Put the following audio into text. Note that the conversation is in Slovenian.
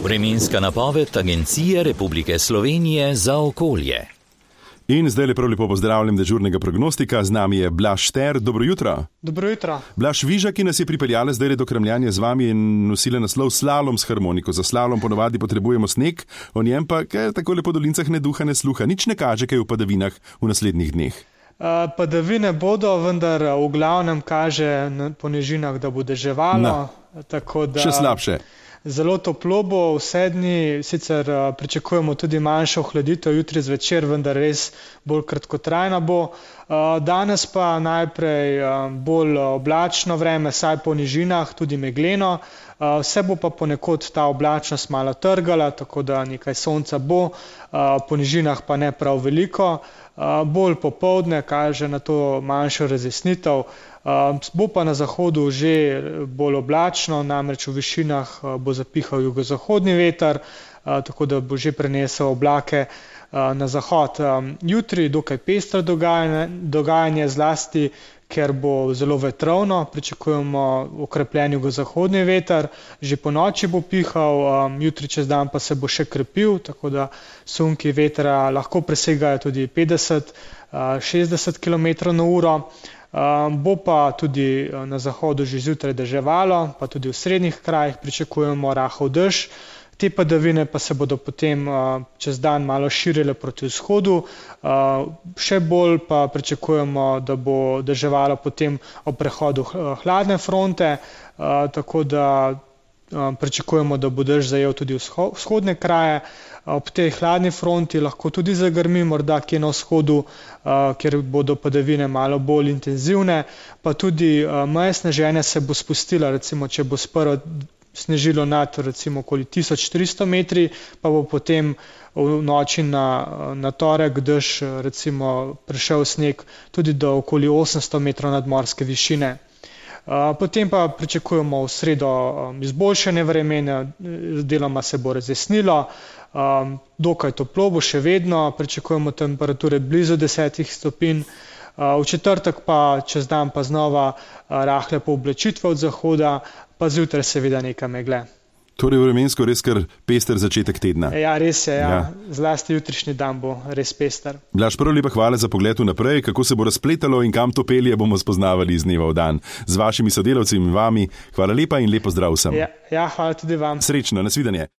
Vremenska napoved Agencije Republike Slovenije za okolje. In zdaj lepo pozdravljam dežurnega prognostika, z nami je Blaž Šter. Dobro jutro. Dobro jutro. Blaž Viža, ki nas je pripeljala zdaj do Kramljanja z vami in nosila naslov Slalom s harmoniko. Za slalom ponovadi potrebujemo sneg, o njem pa tako lepo dolincah ne duha ne sluha. Nič ne kaže kaj v padavinah v naslednjih dneh. Padavine bodo, vendar v glavnem kaže po nižinah, da bo deževalo. Tako da... Še slabše. Zelo toplo bo vse dni, sicer pričakujemo tudi manjšo ohladitev jutri zvečer, vendar res bolj kratkotrajna bo. Danes pa najprej bolj oblačno vreme, saj po nižinah, tudi megleno. Vse bo pa ponekod ta oblačnost malo trgala, tako da nekaj sonca bo, po nižinah pa ne prav veliko. Bolj popoldne kaže na to manjšo razjasnitev. Bo pa na zahodu že bolj oblačno, namreč v višinah bo zapihal jugozahodni veter, tako da bo že prenesel oblake na zahod. Jutri dokaj pestro dogajanje, zlasti ker bo zelo vetrovno, pričakujemo okrepljen jugozahodni veter, že po noči bo pihal, jutri čez dan pa se bo še krepil, tako da sunki vetra lahko presegajo tudi 50-60 km/h. Bo pa tudi na zahodu že zjutraj deževalo, pa tudi v srednjih krajih pričakujemo rahel dež. Te padavine pa se bodo potem čez dan malo širile proti vzhodu. Še bolj pa pričakujemo, da bo deževalo potem ob prehodu hladne fronte, tako da pričakujemo, da bo dež zajel tudi vzhodne kraje. Ob tej hladni fronti lahko tudi zagrmi, morda kje na vzhodu, kjer bodo padavine malo bolj intenzivne, pa tudi meja sneženja se bo spustila, recimo če bo sprva snežilo nad recimo okoli 1300 metri, pa bo potem v noči na torek dež recimo prišel sneg tudi do okoli 800 metrov nadmorske višine. Potem pa pričakujemo v sredo izboljšanje vremena, deloma se bo razjasnilo, dokaj toplo bo še vedno, pričakujemo temperature blizu 10 stopinj. V četrtek pa čez dan pa znova rahle pooblačitve od zahoda, pa zjutraj seveda nekaj megle. Torej vremensko res kar pester začetek tedna. Ja, res je, ja. Zlasti jutrišnji dan bo res pester. Blaž, prvo lepa hvala za pogled vnaprej, kako se bo razpletalo in kam to pelje, bomo spoznavali iz dneva v dan. Z vašimi sodelavci in vami, hvala lepa in lepo zdrav vsem. Ja, hvala tudi vam. Srečno, nasvidenje.